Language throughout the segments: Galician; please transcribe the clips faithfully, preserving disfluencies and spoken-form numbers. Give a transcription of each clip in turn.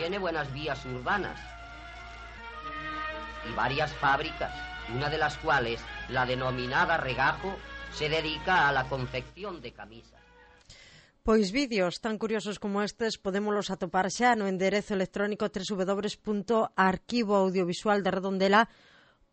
tiene buenas vías urbanas y varias fábricas, una de las cuales, la denominada Regajo, se dedica a la confección de camisas. Pois vídeos tan curiosos como estes podémolos atopar xa no enderezo electrónico doble u doble u doble u punto arquivo audiovisual de redondela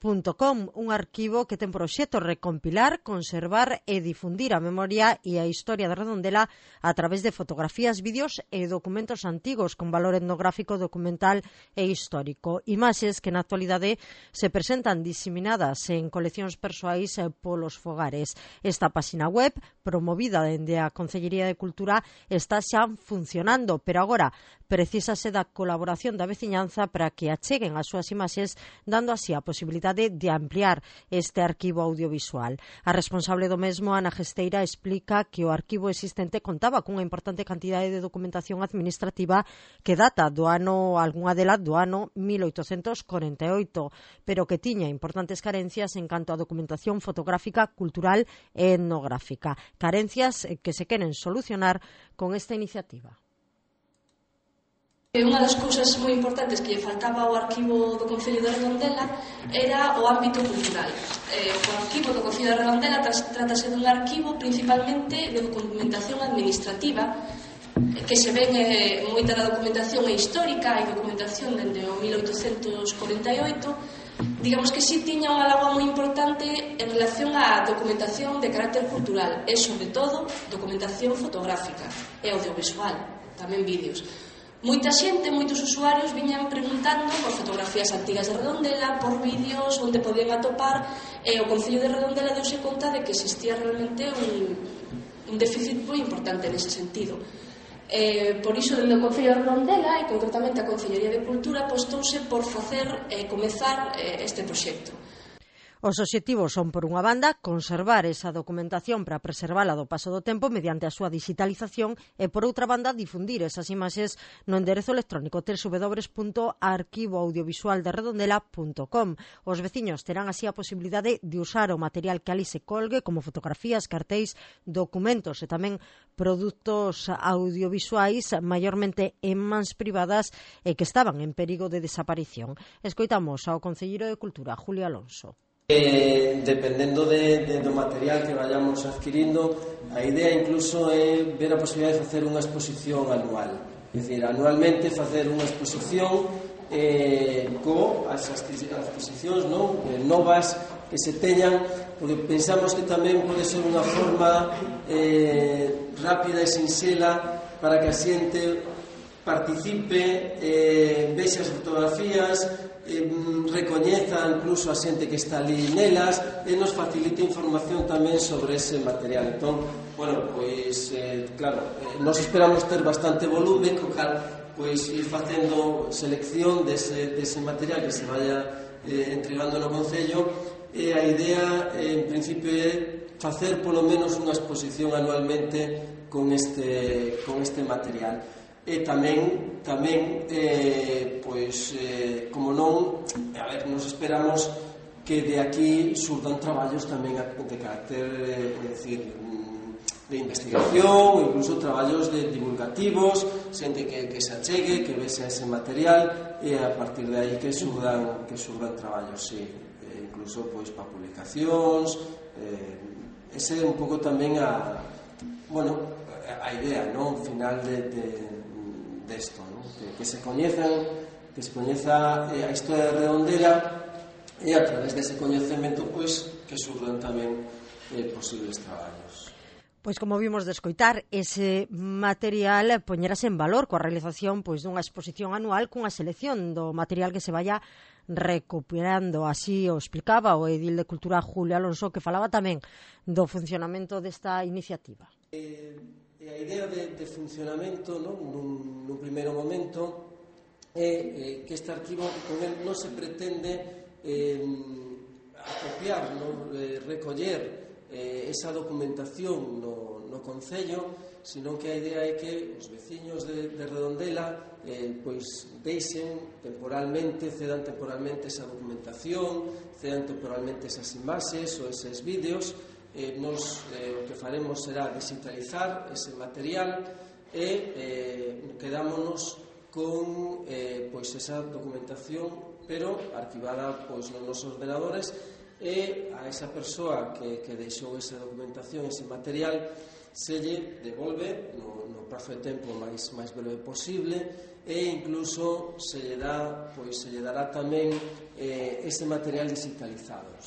punto com, un arquivo que ten por obxecto recompilar, conservar e difundir a memoria e a historia de Redondela a través de fotografías, vídeos e documentos antigos con valor etnográfico, documental e histórico. Imaxes que na actualidade se presentan diseminadas en coleccións persoais polos fogares. Esta páxina web, promovida dende a Concellería de Cultura, está xa funcionando, pero agora precisase da colaboración da veciñanza para que acheguen as súas imaxes, dando así a posibilidade de ampliar este arquivo audiovisual. A responsable do mesmo, Ana Gesteira, explica que o arquivo existente contaba cunha importante cantidade de documentación administrativa que data do ano, algunha dela do ano mil oitocentos corenta e oito, pero que tiña importantes carencias en canto a documentación fotográfica, cultural e etnográfica. Carencias que se queren solucionar con esta iniciativa. Unha das cousas moi importantes que lle faltaba ao arquivo do Concello de Redondela era o ámbito cultural. Eh, o arquivo do Concello de Redondela trátase dun arquivo principalmente de documentación administrativa, que se ven eh, moita da documentación é histórica, hai documentación dende o mil oitocentos corenta e oito. Digamos que si tiña unha lagoa moi importante en relación á documentación de carácter cultural e, sobre todo, documentación fotográfica e audiovisual, tamén vídeos. Moita xente, moitos usuarios viñan preguntando por fotografías antigas de Redondela, por vídeos onde podían atopar, e o Concello de Redondela deuse conta de que existía realmente un, un déficit moi importante nese sentido. Eh, por iso, dende o Concello de Redondela, e concretamente a Concellería de Cultura, apostouse por facer e eh, comezar eh, este proxecto. Os obxectivos son, por unha banda, conservar esa documentación para preservala do paso do tempo mediante a súa digitalización e, por outra banda, difundir esas imaxes no enderezo electrónico doble u doble u doble u punto arquivo audiovisual de redondela punto com. Os veciños terán así a posibilidade de usar o material que ali se colgue como fotografías, cartéis, documentos e tamén produtos audiovisuais maiormente en mans privadas e que estaban en perigo de desaparición. Escoitamos ao concelleiro de Cultura, Julio Alonso. Eh, dependendo de, de, do material que vayamos adquirindo, a idea incluso é ver a posibilidade de facer unha exposición anual, é dicir, anualmente facer unha exposición eh, co as exposicións non? Eh, novas que se teñan, porque pensamos que tamén pode ser unha forma eh, rápida e sinxela para que a xente participe, eh, vexe as fotografías, eh, recoñeza incluso a xente que está ali nelas e nos facilite información tamén sobre ese material. Entón, bueno, pois, eh, claro, eh, nos esperamos ter bastante volume, co cal, pois, ir facendo selección dese, dese material que se vaya eh, entregando no Concello, e a idea, eh, en principio, é facer polo menos unha exposición anualmente con este, con este material. E tamén, tamén eh, pois, eh, como non, a ver, nos esperamos que de aquí surdan traballos tamén de carácter, eh, é dicir, de investigación, incluso traballos de divulgativos, xente que, que se achegue, que vese ese material, e a partir de aí que surdan, que surdan traballos, sí, eh, incluso pois para publicacións. Eh, ese é un pouco tamén a, bueno, a idea, non, final de, de desto, ¿no? que, que se coñezan, que se coñeza eh, a historia de Redondela, e a través dese coñecemento, pois, que surdan tamén eh, posibles traballos. Pois como vimos de escoitar, ese material poñerase en valor coa realización pois dunha exposición anual cunha selección do material que se vaya recuperando. Así o explicaba o edil de Cultura, Julio Alonso, que falaba tamén do funcionamento desta iniciativa. Eh, E a idea de, de funcionamento, non? Nun, nun primeiro momento, é eh, que este arquivo con el non se pretende eh, acopiar, non? Eh, recoller eh, esa documentación no, no Concello, sino que a idea é que os veciños de, de Redondela eh, pois deixen temporalmente, cedan temporalmente esa documentación, cedan temporalmente esas imaxes ou eses vídeos. Eh, nos, eh, o que faremos será digitalizar ese material e eh, quedámonos con eh, pois esa documentación, pero arquivada pois nos nosos ordenadores, e a esa persoa que, que deixou esa documentación, ese material, se lle devolve no, no prazo de tempo máis, máis breve posible, e incluso se lle dá, pois se lle dará tamén eh, ese material digitalizado.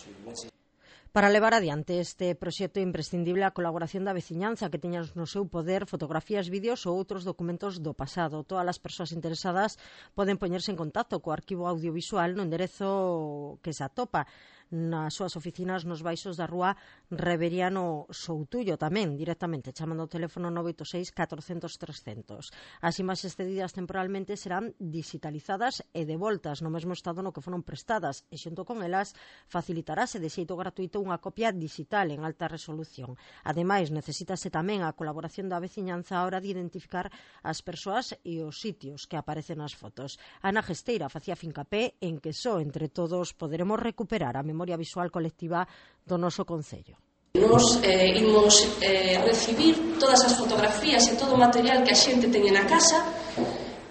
Para levar adiante este proxecto é imprescindible a colaboración da veciñanza que teñan no seu poder fotografías, vídeos ou outros documentos do pasado. Todas as persoas interesadas poden poñerse en contacto co arquivo audiovisual no enderezo que se atopa nas súas oficinas nos baixos da rúa Reveriano Soutullo, tamén directamente chamando ao teléfono nove oito seis catorcentos trescentos. As imaxes cedidas temporalmente serán digitalizadas e devoltas no mesmo estado no que foron prestadas, e xunto con elas facilitarase de xeito gratuito unha copia digital en alta resolución. Ademais, necesítase tamén a colaboración da veciñanza a hora de identificar as persoas e os sitios que aparecen nas fotos. Ana Gesteira facía fincapé en que só entre todos poderemos recuperar a memoria visual colectiva do noso concello. Nos eh, imos eh, recibir todas as fotografías e todo o material que a xente teña na casa,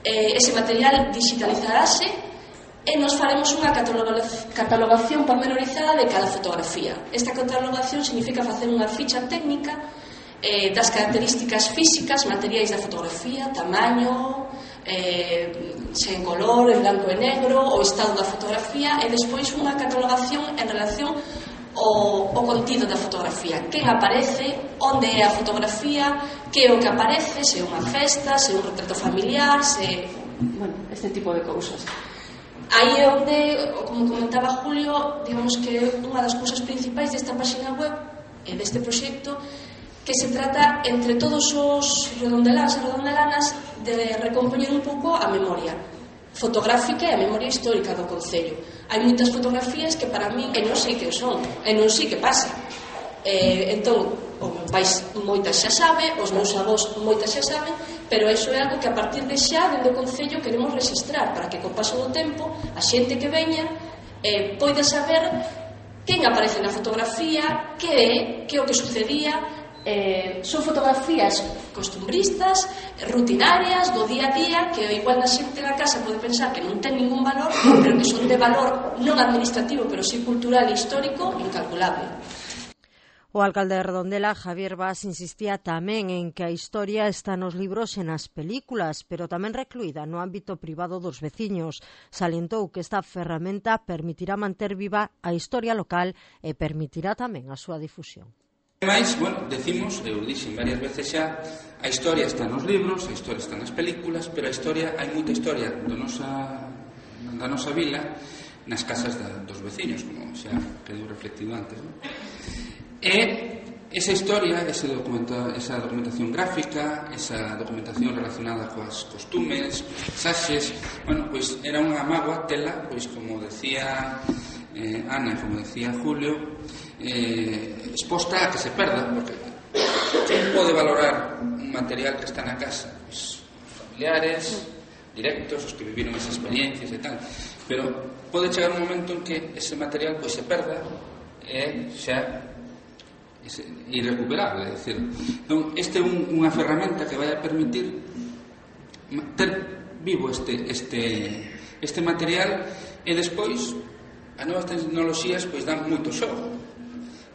eh, ese material digitalizarase e nos faremos unha catalogación pormenorizada de cada fotografía. Esta catalogación significa facer unha ficha técnica eh, das características físicas, materiais da fotografía, tamaño, eh, se en color, en blanco e negro, o estado da fotografía, e despois unha catalogación en relación ao, ao contido da fotografía. Quen aparece, onde é a fotografía, que é o que aparece, se é unha festa, se é un retrato familiar, se... bueno, este tipo de cousas. Aí é onde, como comentaba Julio, digamos que unha das cousas principais desta página web e deste proxecto, que se trata entre todos os redondeláns e redondelanas de recompoñer un pouco a memoria fotográfica e a memoria histórica do concello. Hai moitas fotografías que para mí, e non sei que son, e non sei que pasa. Eh, entón, o meu pais moitas xa sabe, os meus avós moitas xa saben, pero iso é algo que a partir de xa, dentro do concello, queremos registrar para que, co paso do tempo, a xente que veña eh, poida saber quen aparece na fotografía, que é, que é o que sucedía. Eh, son fotografías costumbristas, rutinarias, do día a día, que igual na xente na casa pode pensar que non ten ningún valor, pero que son de valor non administrativo, pero sí cultural e histórico incalculable. O alcalde de Redondela, Javier Bas, insistía tamén en que a historia está nos libros e nas películas, pero tamén recluída no ámbito privado dos veciños. Salientou que esta ferramenta permitirá manter viva a historia local e permitirá tamén a súa difusión. Ademais, bueno, decimos, eu dixen varias veces xa, a historia está nos libros, a historia está nas películas, pero a historia, hai moita historia do nosa, da nosa vila nas casas da, dos veciños, como xa quedou reflectido antes, non? E esa historia, ese documenta, esa documentación gráfica, esa documentación relacionada coas costumes, paisaxes, bueno, pois era unha mágoa tela, pois como decía eh, Ana, como decía Julio, eh, exposta a que se perda, porque quen pode valorar un material que está na casa? Pois os familiares directos, os que viviron esas experiencias e tal, pero pode chegar un momento en que ese material pois se perda e xa é irrecuperable, é dicir, non, este é un, unha ferramenta que vai a permitir ter vivo este, este, este material, e despois as novas tecnoloxías pois dan moito xogo.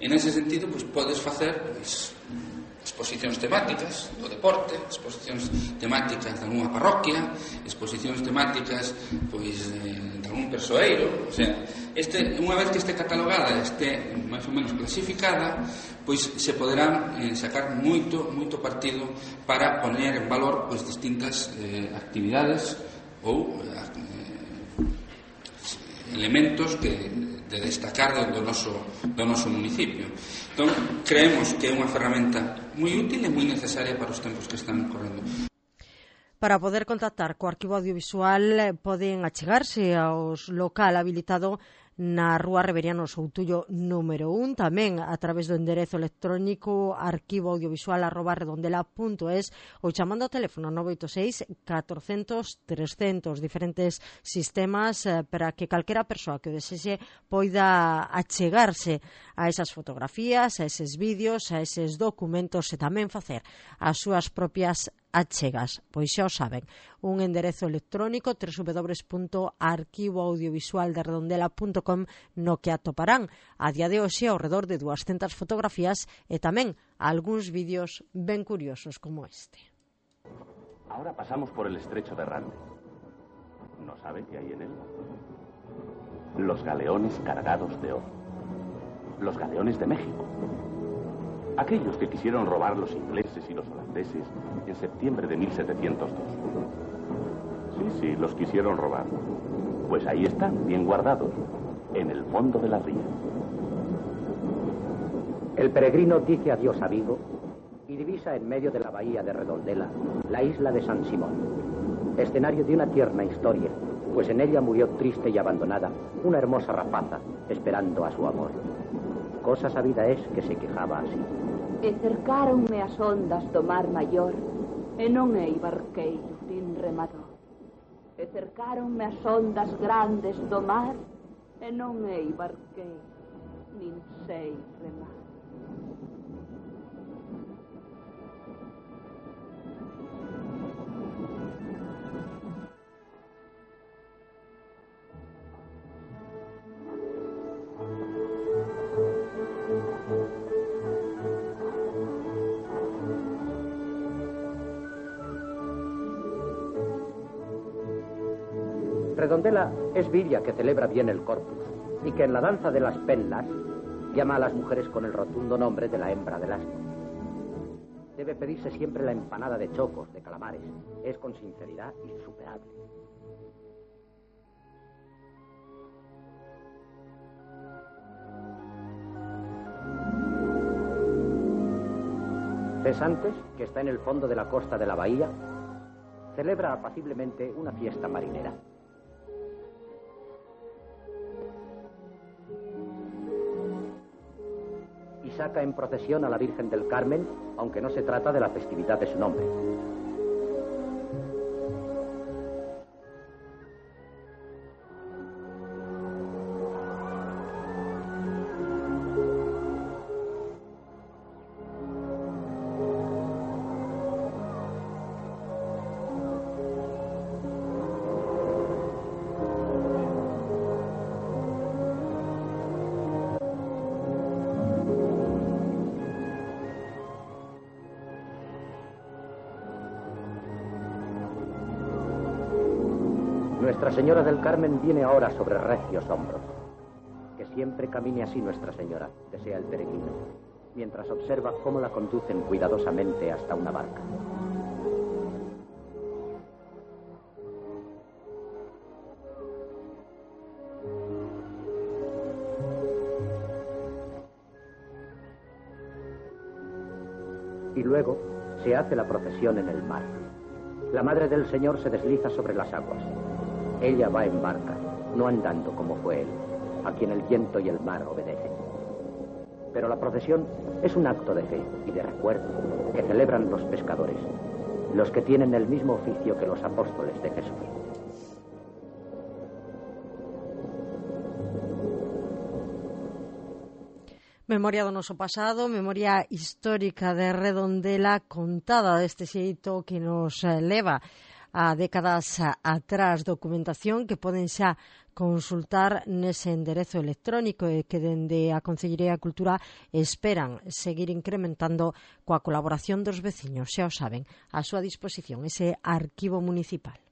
En ese sentido, pois podes facer pois, exposicións temáticas do deporte, exposicións temáticas de alguna parroquia, exposicións temáticas pois de algún persoeiro, o sea, este, unha vez que este catalogada, este máis ou menos clasificada, pois se poderán eh, sacar moito moito partido para poner en valor pois distintas eh, actividades ou eh, elementos que de destacar do noso, do noso municipio. Entón, creemos que é unha ferramenta moi útil e moi necesaria para os tempos que están correndo. Para poder contactar co arquivo audiovisual poden achegarse aos local habilitado na rúa Reveriano Soutullo número un, tamén a través do enderezo electrónico arquivo audiovisual arroba redondela punto es ou chamando ao teléfono nove oito seis catorcentos trescentos, diferentes sistemas eh, para que calquera persoa que o desexe poida achegarse a esas fotografías, a eses vídeos, a eses documentos e tamén facer as súas propias achegas. Pois xa o saben, un enderezo electrónico w w w punto arquivo audiovisual de redondela punto com no que atoparán a día de hoxe ao redor de dúascentas fotografías e tamén algúns vídeos ben curiosos como este. Ahora pasamos por el estrecho de Rande. ¿No sabe qué hay en él? Los galeones cargados de oro. Los galeones de México. Aquellos que quisieron robar los ingleses y los holandeses en septiembre de mil setecientos dos. Sí, sí, los quisieron robar. Pues ahí están, bien guardados, en el fondo de la ría. El peregrino dice adiós a Vigo y divisa en medio de la bahía de Redondela la isla de San Simón, escenario de una tierna historia, pues en ella murió triste y abandonada una hermosa rapaza esperando a su amor. Cosa sabida es que se quejaba así. E cercaronme as ondas do mar maior e non hei barqueiro nin remador. E cercaronme as ondas grandes do mar e non hei barqueiro nin sei remar. Redondela es Viria que celebra bien el corpus y que en la danza de las penlas llama a las mujeres con el rotundo nombre de la hembra del asno. Debe pedirse siempre la empanada de chocos, de calamares. Es con sinceridad insuperable. Cesantes, que está en el fondo de la costa de la bahía, celebra apaciblemente una fiesta marinera. Y saca en procesión a la Virgen del Carmen, aunque no se trata de la festividad de su nombre. Nuestra Señora del Carmen viene ahora sobre recios hombros. Que siempre camine así Nuestra Señora, desea el peregrino, mientras observa cómo la conducen cuidadosamente hasta una barca. Y luego se hace la procesión en el mar. La Madre del Señor se desliza sobre las aguas. Ella va en barca, no andando como fue él, a quien el viento y el mar obedecen. Pero la procesión es un acto de fe y de recuerdo que celebran los pescadores, los que tienen el mismo oficio que los apóstoles de Jesús. Memoria do noso pasado, memoria histórica de Redondela contada deste xeito que nos leva a décadas atrás, documentación que poden xa consultar nese enderezo electrónico e que dende a Consellería de Cultura esperan seguir incrementando coa colaboración dos veciños, xa o saben, a súa disposición ese arquivo municipal.